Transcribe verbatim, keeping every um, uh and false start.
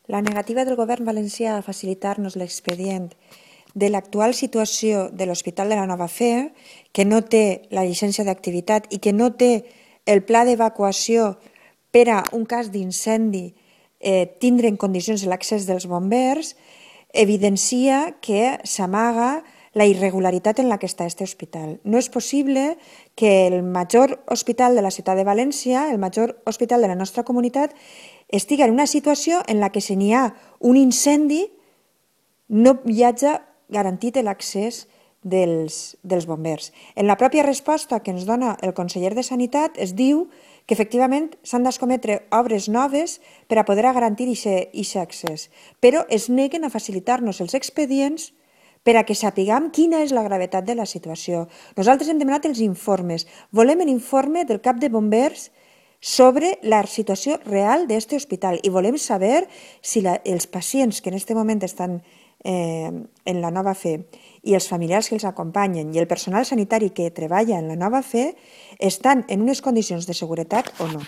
La negativa del govern valencià a facilitar-nos l'expedient de l'actual situació de l'Hospital de la Nova Fe, que no té la llicència d'activitat i que no té el pla d'evacuació per a un cas d'incendi eh, tindre en condicions l'accés dels bombers, evidencia que s'amaga la irregularitat en la que està aquest hospital. No és possible que el major hospital de la ciutat de València, el major hospital de la nostra comunitat, estigui en una situació en la que si n'hi ha un incendi no hi hagi garantit l'accés dels, dels bombers. En la pròpia resposta que ens dona el conseller de Sanitat es diu que efectivament s'han d'escometre obres noves per a poder garantir aquest accés, però es neguen a facilitar-nos els expedients per a que sapiguem quina és la gravetat de la situació. Nosaltres hem demanat els informes. Volem l'informe del cap de bombers sobre la situació real d'aquest hospital i volem saber si la, els pacients que en aquest moment estan eh, en la Nova Fe i els familiars que els acompanyen i el personal sanitari que treballa en la Nova Fe estan en unes condicions de seguretat o no.